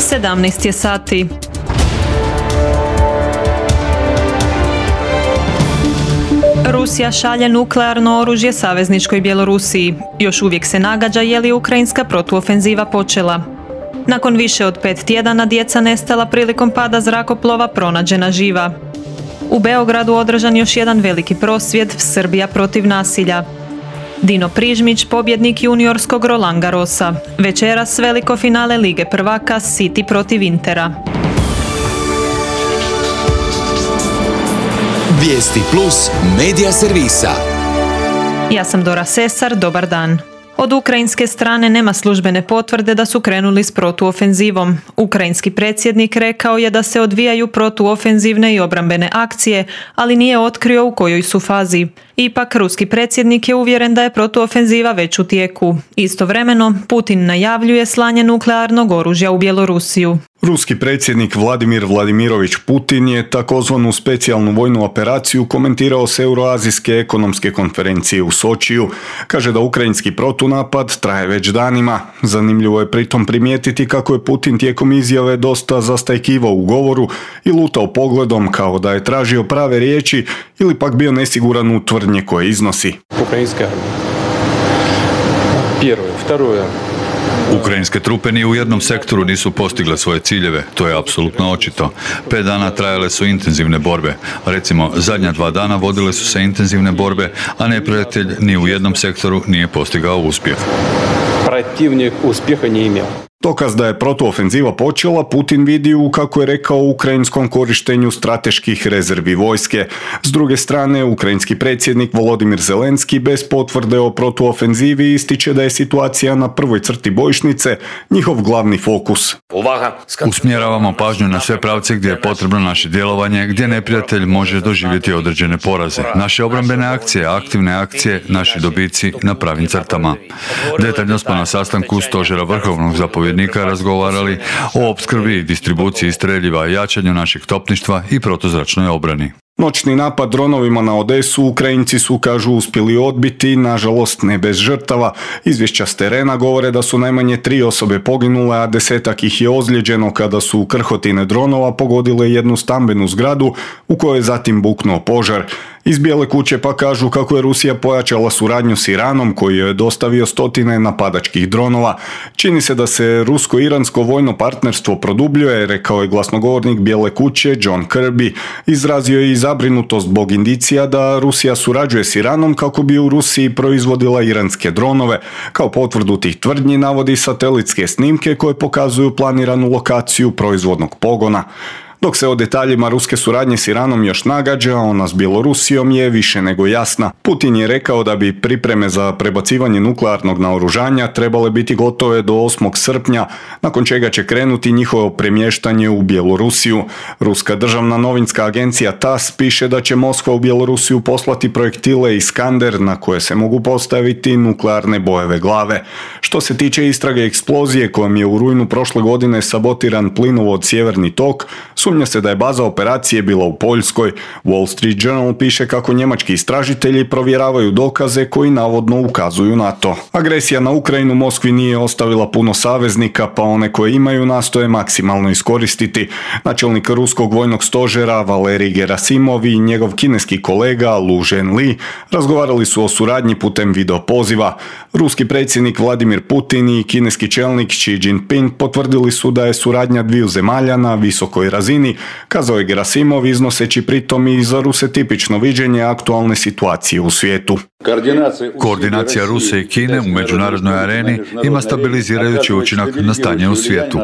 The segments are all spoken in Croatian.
17 je sati. Rusija šalje nuklearno oružje savezničkoj Bjelorusiji. Još uvijek se nagađa je li ukrajinska protuofenziva počela. Nakon više od 5 tjedana djeca nestala prilikom pada zrakoplova pronađena živa. U Beogradu održan još jedan veliki prosvjed Srbija protiv nasilja. Dino Prižmić, pobjednik juniorskog Roland Garrosa. Večeras veliko finale Lige prvaka City protiv Intera. Vijesti plus medija servisa. Ja sam Dora Sesar, dobar dan. Od ukrajinske strane nema službene potvrde da su krenuli s protuofenzivom. Ukrajinski predsjednik rekao je da se odvijaju protuofenzivne i obrambene akcije, ali nije otkrio u kojoj su fazi. Ipak, ruski predsjednik je uvjeren da je protuofenziva već u tijeku. Istovremeno, Putin najavljuje slanje nuklearnog oružja u Bjelorusiju. Ruski predsjednik Vladimir Vladimirović Putin je takozvanu specijalnu vojnu operaciju komentirao s Euroazijske ekonomske konferencije u Sočiju. Kaže da ukrajinski protunapad traje već danima. Zanimljivo je pritom primijetiti kako je Putin tijekom izjave dosta zastajkivao u govoru i lutao pogledom kao da je tražio prave riječi ili pak bio nesiguran u tvrdnje koje iznosi. Ukrajinska armija. Ukrajinske trupe ni u jednom sektoru nisu postigle svoje ciljeve, to je apsolutno očito. 5 dana trajale su intenzivne borbe. Recimo, zadnja 2 dana vodile su se intenzivne borbe, a neprijatelj ni u jednom sektoru nije postigao uspjeh. Protivnik uspjeha nije imao. Dokaz da je protuofenziva počela Putin vidi u, kako je rekao, ukrajinskom korištenju strateških rezervi vojske. S druge strane, ukrajinski predsjednik Volodimir Zelenski bez potvrde o protuofenzivi ističe da je situacija na prvoj crti bojišnice njihov glavni fokus. Usmjeravamo pažnju na sve pravce gdje je potrebno naše djelovanje, gdje neprijatelj može doživjeti određene poraze. Naše obrambene akcije, aktivne akcije, naši dobici na pravim crtama. Detaljno smo na sastanku stožera vrhovnog zapovjednika razgovarali o opskrbi i distribuciji streljiva, jačanju našeg topništva i protuzračnoj obrani. Noćni napad dronovima na Odesu Ukrajinci su, kažu, uspjeli odbiti, nažalost ne bez žrtava. Izvješća s terena govore da su najmanje 3 osobe poginule, a 10-ak ih je ozlijeđeno kada su krhotine dronova pogodile jednu stambenu zgradu u kojoj je zatim buknuo požar. Iz Bijele kuće pa kažu kako je Rusija pojačala suradnju s Iranom koji je dostavio stotine napadačkih dronova. Čini se da se rusko-iransko vojno partnerstvo produbljuje, rekao je glasnogovornik Bijele kuće John Kirby. Izrazio je i zabrinutost zbog indicija da Rusija surađuje s Iranom kako bi u Rusiji proizvodila iranske dronove. Kao potvrdu tih tvrdnji navodi satelitske snimke koje pokazuju planiranu lokaciju proizvodnog pogona. Dok se o detaljima ruske suradnje s Iranom još nagađa, ona s Bjelorusijom je više nego jasna. Putin je rekao da bi pripreme za prebacivanje nuklearnog naoružanja trebale biti gotove do 8. srpnja, nakon čega će krenuti njihovo premještanje u Bjelorusiju. Ruska državna novinska agencija TASS piše da će Moskva u Bjelorusiju poslati projektile Iskander na koje se mogu postaviti nuklearne bojeve glave. Što se tiče istrage eksplozije kojom je u rujnu prošle godine sabotiran plinovod Sjeverni tok, sumnja se da je baza operacije bila u Poljskoj. Wall Street Journal piše kako njemački istražitelji provjeravaju dokaze koji navodno ukazuju na to. Agresija na Ukrajinu Moskvi nije ostavila puno saveznika, pa one koje imaju nastoje maksimalno iskoristiti. Načelnik ruskog vojnog stožera Valerij Gerasimov i njegov kineski kolega Lu Zhenli razgovarali su o suradnji putem video poziva. Ruski predsjednik Vladimir Putin i kineski čelnik Xi Jinping potvrdili su da je suradnja dviju zemalja na visokoj razini, kazao je Gerasimov, iznoseći pritom i za Ruse tipično viđenje aktualne situacije u svijetu. Koordinacija Rusije i Kine u međunarodnoj areni ima stabilizirajući učinak na stanje u svijetu.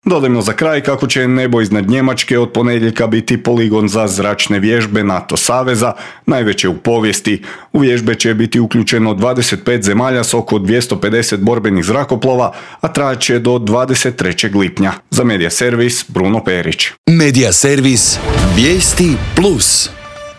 Dodajmo za kraj kako će nebo iznad Njemačke od ponedjeljka biti poligon za zračne vježbe NATO saveza, najveće u povijesti. U vježbe će biti uključeno 25 zemalja s oko 250 borbenih zrakoplova, a trajat će do 23. lipnja. Za Medija servis Bruno Perić. Medija servis Vijesti plus.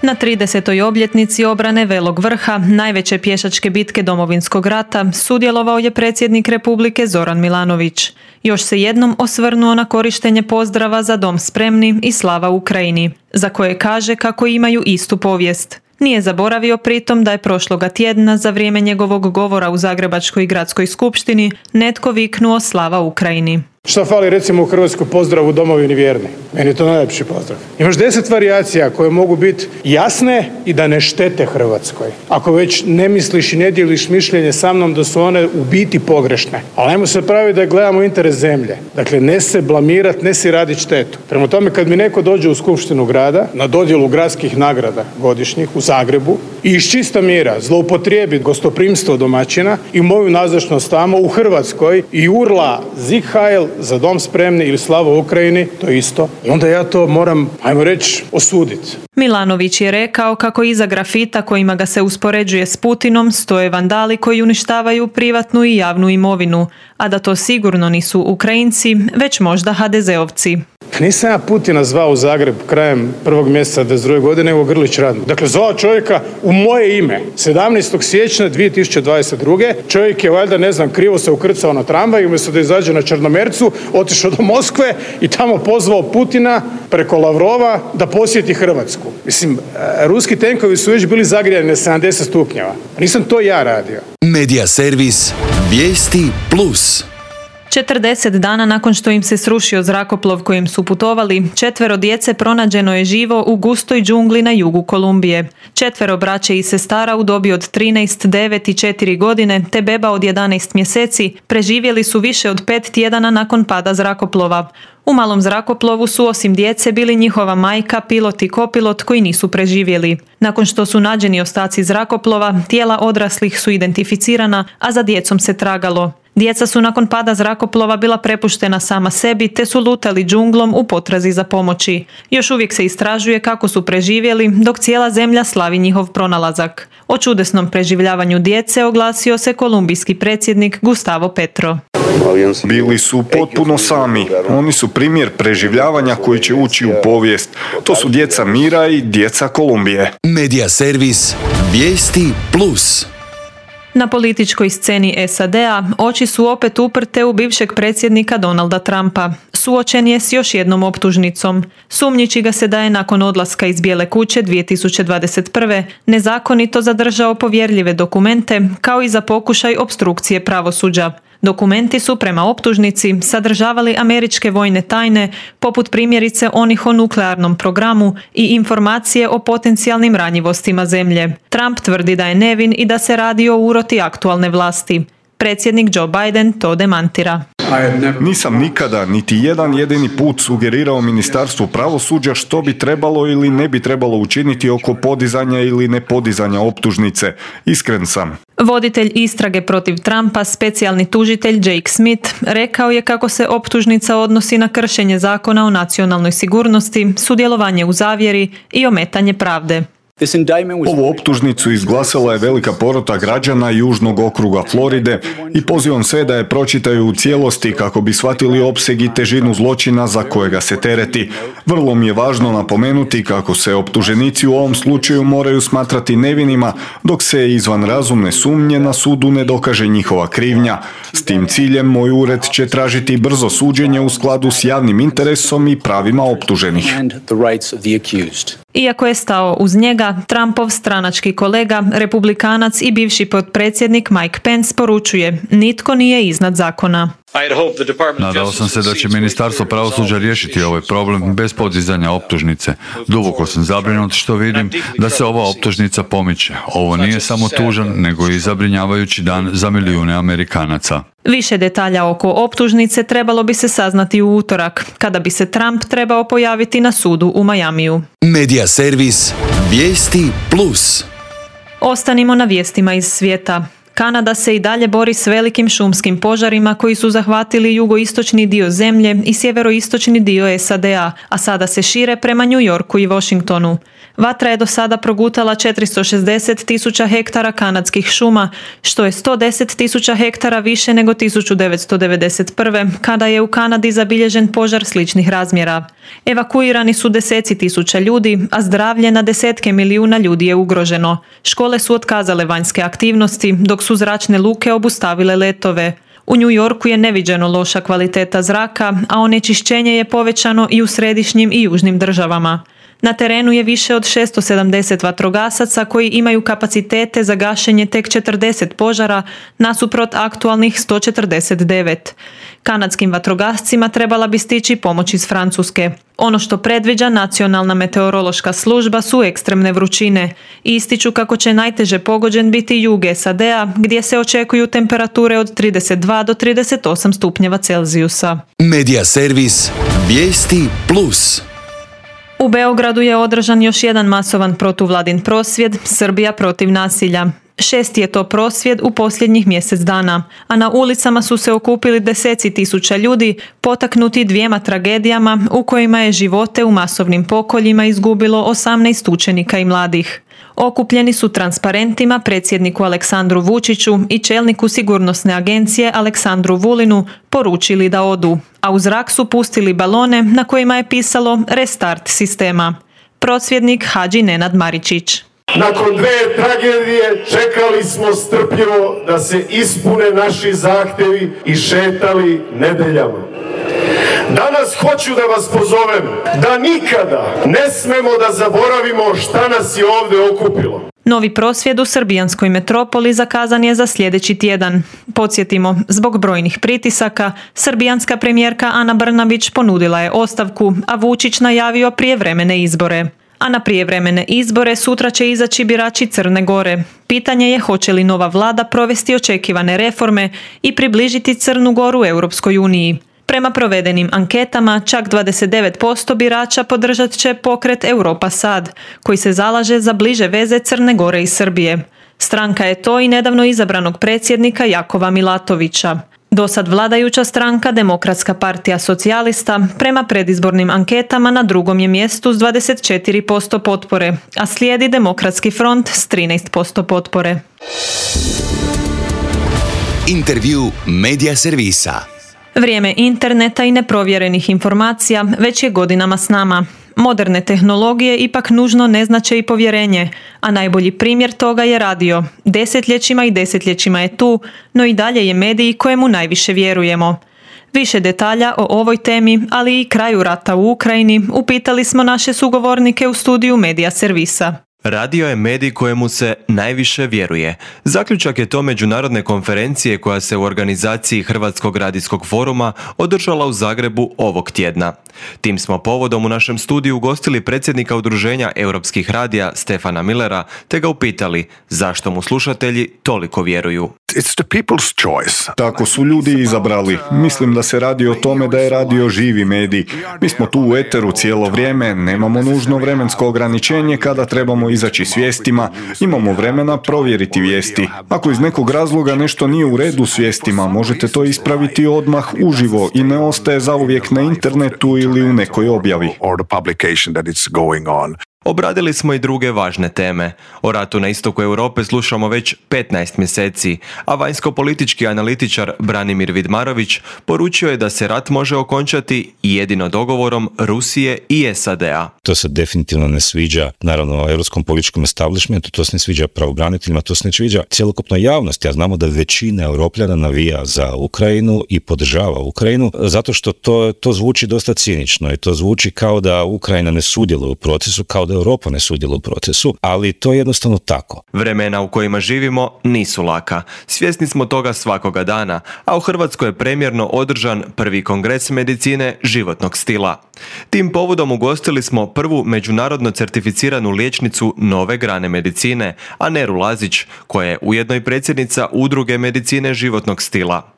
Na 30. obljetnici obrane Velog vrha, najveće pješačke bitke Domovinskog rata, sudjelovao je predsjednik Republike Zoran Milanović. Još se jednom osvrnuo na korištenje pozdrava za dom spremni i slava Ukrajini, za koje kaže kako imaju istu povijest. Nije zaboravio pritom da je prošloga tjedna za vrijeme njegovog govora u Zagrebačkoj gradskoj skupštini netko viknuo slava Ukrajini. Šta fali recimo u Hrvatskoj pozdrav u domovini vjerni? Meni je to najljepši pozdrav. Imaš 10 varijacija koje mogu biti jasne i da ne štete Hrvatskoj. Ako već ne misliš i ne dijeliš mišljenje sa mnom da su one u biti pogrešne. Ali ajmo se praviti da gledamo interes zemlje. Dakle, ne se blamirat, ne si raditi štetu. Prema tome, kad mi neko dođe u skupštinu grada na dodjelu gradskih nagrada godišnjih u Zagrebu i iz čista mira zloupotrijebit gostoprimstvo domaćina i moju nazočnost tamo u Hrvatskoj i urla Sieg Heil, Za dom spremni ili Slava Ukrajini, to je isto. I onda ja to moram, ajmo reći, osuditi. Milanović je rekao kako iza grafita kojima ga se uspoređuje s Putinom stoje vandali koji uništavaju privatnu i javnu imovinu, a da to sigurno nisu Ukrajinci, već možda HDZ-ovci. Nisam ja Putina zvao u Zagreb krajem 1. mjeseca 22. godine, nego Grlić Radman. Dakle, zvao čovjeka u moje ime. 17. siječnja 2022. Čovjek je valjda, ne znam, krivo se ukrcao na tramvaj i umjesto da izađe na Črnomercu, otišao do Moskve i tamo pozvao Putina preko Lavrova da posjeti Hrvatsku. Mislim, ruski tenkovi su već bili zagrijani na 70 stupnjeva. Nisam to ja radio. Medija servis Vijesti Plus. 40 dana nakon što im se srušio zrakoplov kojim su putovali, 4 djece pronađeno je živo u gustoj džungli na jugu Kolumbije. 4 braće i sestara u dobi od 13, 9 i 4 godine te beba od 11 mjeseci preživjeli su više od 5 tjedana nakon pada zrakoplova. U malom zrakoplovu su osim djece bili njihova majka, pilot i kopilot koji nisu preživjeli. Nakon što su nađeni ostaci zrakoplova, tijela odraslih su identificirana, a za djecom se tragalo. Djeca su nakon pada zrakoplova bila prepuštena sama sebi te su lutali džunglom u potrazi za pomoći. Još uvijek se istražuje kako su preživjeli dok cijela zemlja slavi njihov pronalazak. O čudesnom preživljavanju djece oglasio se kolumbijski predsjednik Gustavo Petro. Bili su potpuno sami. Oni su primjer preživljavanja koji će ući u povijest. To su djeca mira i djeca Kolumbije. Medija servis Vijesti Plus. Na političkoj sceni SAD-a oči su opet uprte u bivšeg predsjednika Donalda Trumpa. Suočen je s još jednom optužnicom. Sumnjiči ga se da je nakon odlaska iz Bijele kuće 2021. nezakonito zadržao povjerljive dokumente kao i za pokušaj opstrukcije pravosuđa. Dokumenti su prema optužnici sadržavali američke vojne tajne, poput primjerice onih o nuklearnom programu i informacije o potencijalnim ranjivostima zemlje. Trump tvrdi da je nevin i da se radi o uroti aktualne vlasti. Predsjednik Joe Biden to demantira. Nisam nikada, niti jedan jedini put sugerirao Ministarstvu pravosuđa što bi trebalo ili ne bi trebalo učiniti oko podizanja ili nepodizanja optužnice. Iskren sam. Voditelj istrage protiv Trumpa, specijalni tužitelj Jake Smith, rekao je kako se optužnica odnosi na kršenje zakona o nacionalnoj sigurnosti, sudjelovanje u zavjeri i ometanje pravde. Ovu optužnicu izglasala je velika porota građana Južnog okruga Floride i pozivam sve da je pročitaju u cijelosti kako bi shvatili opseg i težinu zločina za kojega se tereti. Vrlo mi je važno napomenuti kako se optuženici u ovom slučaju moraju smatrati nevinima dok se izvan razumne sumnje na sudu ne dokaže njihova krivnja. S tim ciljem moj ured će tražiti brzo suđenje u skladu s javnim interesom i pravima optuženih. Iako je stao uz njega, Trumpov stranački kolega, republikanac i bivši potpredsjednik Mike Pence poručuje: nitko nije iznad zakona. Nadao sam se da će Ministarstvo pravosuđa riješiti ovaj problem bez podizanja optužnice. Duboko sam zabrinut što vidim da se ova optužnica pomiče. Ovo nije samo tužan, nego i zabrinjavajući dan za milijune Amerikanaca. Više detalja oko optužnice trebalo bi se saznati u utorak, kada bi se Trump trebao pojaviti na sudu u Majamiju. Medija servis Vijesti Plus. Ostanimo na vijestima iz svijeta. Kanada se i dalje bori s velikim šumskim požarima koji su zahvatili jugoistočni dio zemlje i sjeveroistočni dio SAD-a, a sada se šire prema New Yorku i Washingtonu. Vatra je do sada progutala 460.000 hektara kanadskih šuma, što je 110.000 hektara više nego 1991. kada je u Kanadi zabilježen požar sličnih razmjera. Evakuirani su deseci tisuća ljudi, a zdravlje na desetke milijuna ljudi je ugroženo. Škole su otkazale vanjske aktivnosti, dok su zračne luke obustavile letove. U New Yorku je neviđeno loša kvaliteta zraka, a onečišćenje je povećano i u središnjim i južnim državama. Na terenu je više od 670 vatrogasaca koji imaju kapacitete za gašenje tek 40 požara nasuprot aktualnih 149. Kanadskim vatrogascima trebala bi stići pomoć iz Francuske. Ono što predviđa Nacionalna meteorološka služba su ekstremne vrućine. Ističu kako će najteže pogođen biti jug SAD-a gdje se očekuju temperature od 32 do 38 stupnjeva Celzijusa. Medija servis Vijesti Plus. U Beogradu je održan još jedan masovan protuvladin prosvjed Srbija protiv nasilja. 6. je to prosvjed u posljednjih mjesec dana, a na ulicama su se okupili deseci tisuća ljudi potaknuti dvijema tragedijama u kojima je živote u masovnim pokoljima izgubilo 18 učenika i mladih. Okupljeni su transparentima predsjedniku Aleksandru Vučiću i čelniku sigurnosne agencije Aleksandru Vulinu poručili da odu, a u zrak su pustili balone na kojima je pisalo restart sistema. Prosvjednik Hadži Nenad Maričić. Nakon 2 tragedije čekali smo strpljivo da se ispune naši zahtjevi i šetali nedeljama. Danas hoću da vas pozovem da nikada ne smemo da zaboravimo šta nas je ovdje okupilo. Novi prosvjed u srbijanskoj metropoli zakazan je za sljedeći tjedan. Podsjetimo, zbog brojnih pritisaka, srbijanska premijerka Ana Brnabić ponudila je ostavku, a Vučić najavio prijevremene izbore. A na prijevremene izbore sutra će izaći birači Crne Gore. Pitanje je hoće li nova vlada provesti očekivane reforme i približiti Crnu Goru Europskoj uniji. Prema provedenim anketama, čak 29% birača podržat će pokret Europa Sad, koji se zalaže za bliže veze Crne Gore i Srbije. Stranka je to i nedavno izabranog predsjednika Jakova Milatovića. Dosad vladajuća stranka Demokratska partija socijalista prema predizbornim anketama na drugom je mjestu s 24% potpore, a slijedi Demokratski front s 13% potpore. Intervju Medija servisa. Vrijeme interneta i neprovjerenih informacija već je godinama s nama. Moderne tehnologije ipak nužno ne znače i povjerenje, a najbolji primjer toga je radio. Desetljećima i desetljećima je tu, no i dalje je medij kojemu najviše vjerujemo. Više detalja o ovoj temi, ali i kraju rata u Ukrajini, upitali smo naše sugovornike u studiju Medija servisa. Radio je medij kojemu se najviše vjeruje. Zaključak je to međunarodne konferencije koja se u organizaciji Hrvatskog radijskog foruma održala u Zagrebu ovog tjedna. Tim smo povodom u našem studiju ugostili predsjednika Udruženja europskih radija Stefana Millera te ga upitali zašto mu slušatelji toliko vjeruju. It's the people's choice. Tako su ljudi izabrali. Mislim da se radi o tome da je radio živi medij. Mi smo tu u eteru cijelo vrijeme, nemamo nužno vremensko ograničenje kada trebamo izaći s vijestima, imamo vremena provjeriti vijesti. Ako iz nekog razloga nešto nije u redu s vijestima, možete to ispraviti odmah uživo i ne ostaje zauvijek na internetu ili u nekoj objavi. Or the publication that it's going on. Obradili smo i druge važne teme. O ratu na istoku Europe slušamo već 15 mjeseci, a vanjsko-politički analitičar Branimir Vidmarović poručio je da se rat može okončati jedino dogovorom Rusije i SAD-a. To se definitivno ne sviđa, naravno, europskom političkom establishmentu, to se ne sviđa pravobraniteljima, to se ne sviđa cjelokupnoj javnosti, a znamo da većina Europljana navija za Ukrajinu i podržava Ukrajinu, zato što to zvuči dosta cinično i to zvuči kao da Ukrajina ne sudjeluje u procesu, kao da Europa ne sudjeluje u procesu, ali to je jednostavno tako. Vremena u kojima živimo nisu laka. Svjesni smo toga svakoga dana, a u Hrvatskoj je premjerno održan prvi kongres medicine životnog stila. Tim povodom ugostili smo prvu međunarodno certificiranu liječnicu nove grane medicine, Aneru Lazić, koja je ujedno i predsjednica Udruge medicine životnog stila.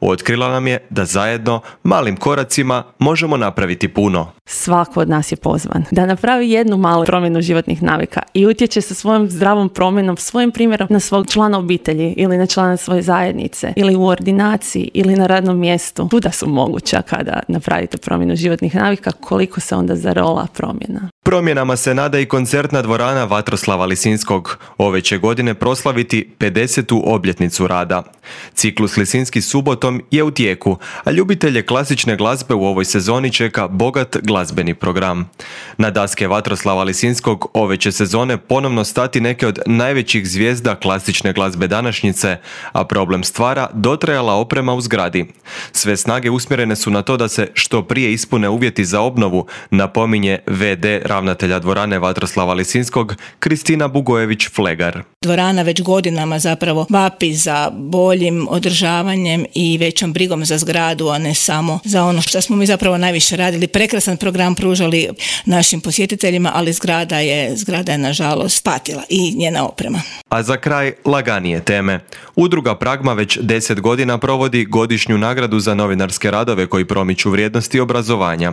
Otkrila nam je da zajedno, malim koracima, možemo napraviti puno. Svako od nas je pozvan da napravi jednu malu promjenu životnih navika i utječe sa svojom zdravom promjenom, svojim primjerom na svog člana obitelji ili na člana svoje zajednice ili u ordinaciji ili na radnom mjestu. Tuda su moguća kada napravite promjenu životnih navika, koliko se onda zarola promjena. Promjenama se nada i koncertna dvorana Vatroslava Lisinskog. Ove će godine proslaviti 50. obljetnicu rada. Ciklus Lisinski subotom je u tijeku, a ljubitelje klasične glazbe u ovoj sezoni čeka bogat glazbeni program. Na daske Vatroslava Lisinskog ove će sezone ponovno stati neke od najvećih zvijezda klasične glazbe današnjice, a problem stvara dotrajala oprema u zgradi. Sve snage usmjerene su na to da se što prije ispune uvjeti za obnovu, napominje VD ravnatelja dvorane Vatroslava Lisinskog, Kristina Bugojević-Flegar. Dvorana već godinama zapravo vapi za boljim održavanjem i većom brigom za zgradu, a ne samo za ono što smo mi zapravo najviše radili. Prekrasan program pružali našim posjetiteljima, ali zgrada je nažalost patila i njena oprema. A za kraj laganije teme. Udruga Pragma već 10 godina provodi godišnju nagradu za novinarske radove koji promiču vrijednosti obrazovanja.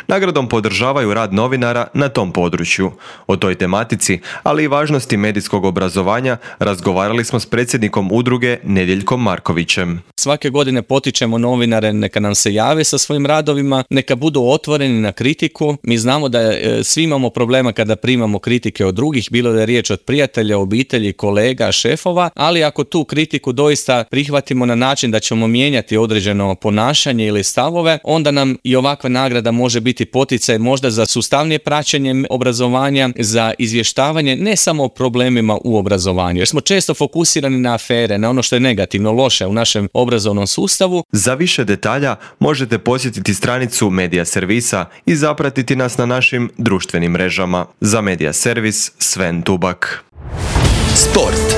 Nagradom podržavaju rad novinara na tom području. O toj tematici, ali i važnosti medijskog obrazovanja razgovarali smo s predsjednikom udruge Nedjeljkom Markovićem. Svake godine potičemo novinare neka nam se jave sa svojim radovima, neka budu otvoreni na kritiku. Mi znamo da svi imamo problema kada primamo kritike od drugih, bilo da je riječ od prijatelja, obitelji, kolega, šefova, ali ako tu kritiku doista prihvatimo na način da ćemo mijenjati određeno ponašanje ili stavove, onda nam i ovakva nagrada može biti poticaj možda za sustavnije praćenje obrazovanja, za izvještavanje ne samo o problemima u obrazovanju, jer smo često fokusirani na afere, na ono što je negativno, loše u našem obrazovnom sustavu. Za više detalja možete posjetiti stranicu Medija Servisa i zapratiti nas na našim društvenim mrežama. Za Medija Servis, Sven Tubak. Sport.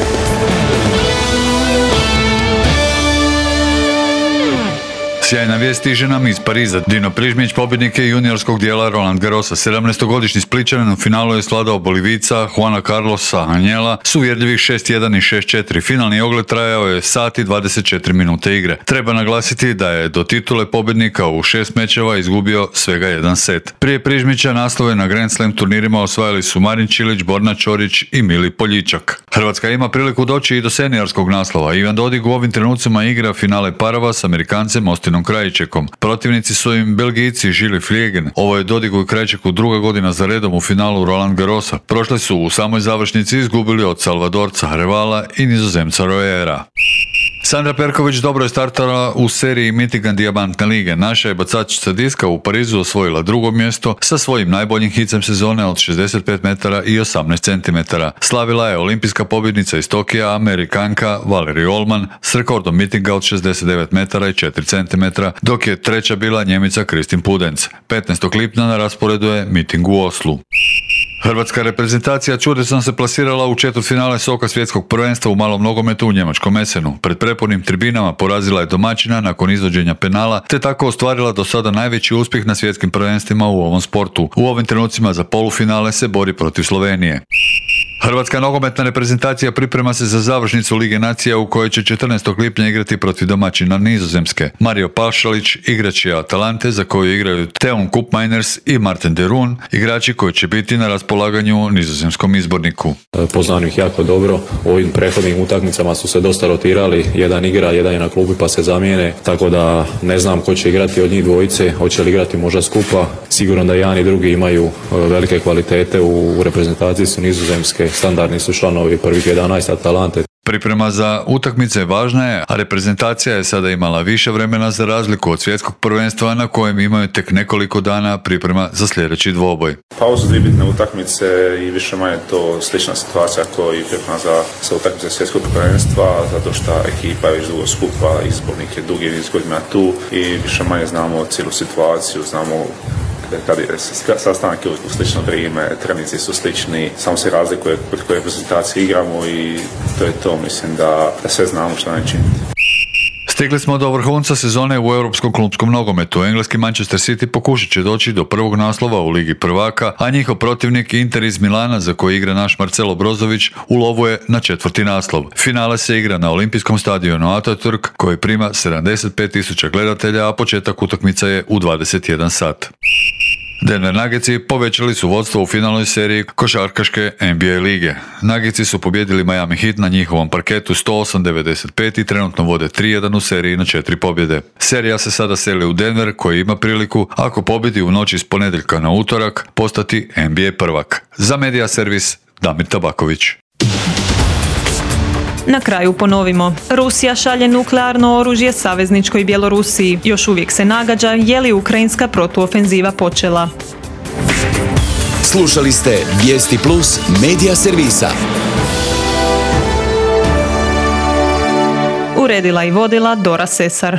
Sjajna vijest stiže nam iz Pariza. Dino Prižmić, pobjednik je juniorskog dijela Roland Garrosa. 17-godišnji Splićanin u finalu je svladao Bolivica Juana Carlosa Anjela s uvjerljivih 6-1 i 6-4. Finalni ogled trajao je sat i 24 minute igre. Treba naglasiti da je do titule pobjednika u 6 mečeva izgubio svega jedan set. Prije Prižmića naslove na Grand Slam turnirima osvajali su Marin Čilić, Borna Ćorić i Mili Poljičak. Hrvatska ima priliku doći i do seniorskog naslova. Ivan Dodig u ovim trenucima igra finale parova s Amerikancem Ostinom Krajičekom. Protivnici su im Belgijci Žili Flijegen. Ovo je Dodigu i Krajičeku druga godina za redom u finalu Roland Garrosa. Prošli su u samoj završnici izgubili od Salvadorca Revala i Nizozemca Royera. Sandra Perković dobro je startala u seriji Michigan Dijamantne lige. Naša je bacačica diska u Parizu osvojila drugo mjesto sa svojim najboljim hicem sezone od 65 metara i 18 cm. Slavila je olimpijska pobjednica iz Tokija, Amerikanka Valerie Allman s rekordom mitinga od 69 metara i 4 cm, dok je treća bila Njemica Kristin Pudenc. 15. lipnja na rasporedu je miting u Oslu. Hrvatska reprezentacija čudesno se plasirala u četvrtfinale Soka svjetskog prvenstva u malom nogometu u njemačkom Essenu. Pred prepunim tribinama porazila je domaćina nakon izvođenja penala, te tako ostvarila do sada najveći uspjeh na svjetskim prvenstvima u ovom sportu. U ovim trenucima za polufinale se bori protiv Slovenije. Hrvatska nogometna reprezentacija priprema se za završnicu Lige nacija u kojoj će 14. lipnja igrati protiv domaćina Nizozemske. Mario Pašalić igrač je Atalante za koju igraju Theon Koopmeiners i Martin de Roon, igrači koji će biti na raspolaganju nizozemskom izborniku. Poznam ih jako dobro, u ovim prethodnim utakmicama su se dosta rotirali, jedan igra, jedan je na klubi pa se zamijene, tako da ne znam ko će igrati od njih dvojice, hoće li igrati možda skupa. Sigurno da jedan i drugi imaju velike kvalitete, u reprezentaciji su Nizozemske, standardni su članovi prvih 11 Atalante. Priprema za utakmice važna je, a reprezentacija je sada imala više vremena za razliku od svjetskog prvenstva na kojem imaju tek nekoliko dana priprema za sljedeći dvoboj. Pa ovo su dvije bitne utakmice i više manje to slična situacija kao i priprema za utakmice svjetskog prvenstva, zato što ekipa je već dugo skupa, izbornik je dugi niz godina tu i više manje znamo cijelu situaciju, znamo kad je sastanak u slično vrijeme, treninzi su slični, samo se razlikuje kod koje reprezentacije igramo i to je to, mislim da sve znamo što ne činiti. Stigli smo do vrhunca sezone u europskom klupskom nogometu. Engleski Manchester City pokušat će doći do prvog naslova u Ligi prvaka, a njihov protivnik Inter iz Milana, za koji igra naš Marcelo Brozović, u lovu je na 4. naslov. Finale se igra na olimpijskom stadionu Atatürk, koji prima 75.000 gledatelja, a početak utakmice je u 21 sat. Denver Nuggetsi povećali su vodstvo u finalnoj seriji košarkaške NBA lige. Nuggetsi su pobjedili Miami Heat na njihovom parketu 108-95 i trenutno vode 3-1 u seriji na 4 pobjede. Serija se sada seli u Denver, koji ima priliku, ako pobjedi u noći s ponedjeljka na utorak, postati NBA prvak. Za Medija Servis, Damir Tabaković. Na kraju ponovimo. Rusija šalje nuklearno oružje savezničkoj Bjelorusiji. Još uvijek se nagađa je li ukrajinska protuofenziva počela. Slušali ste Vijesti Plus Medija Servisa. Uredila i vodila Dora Sesar.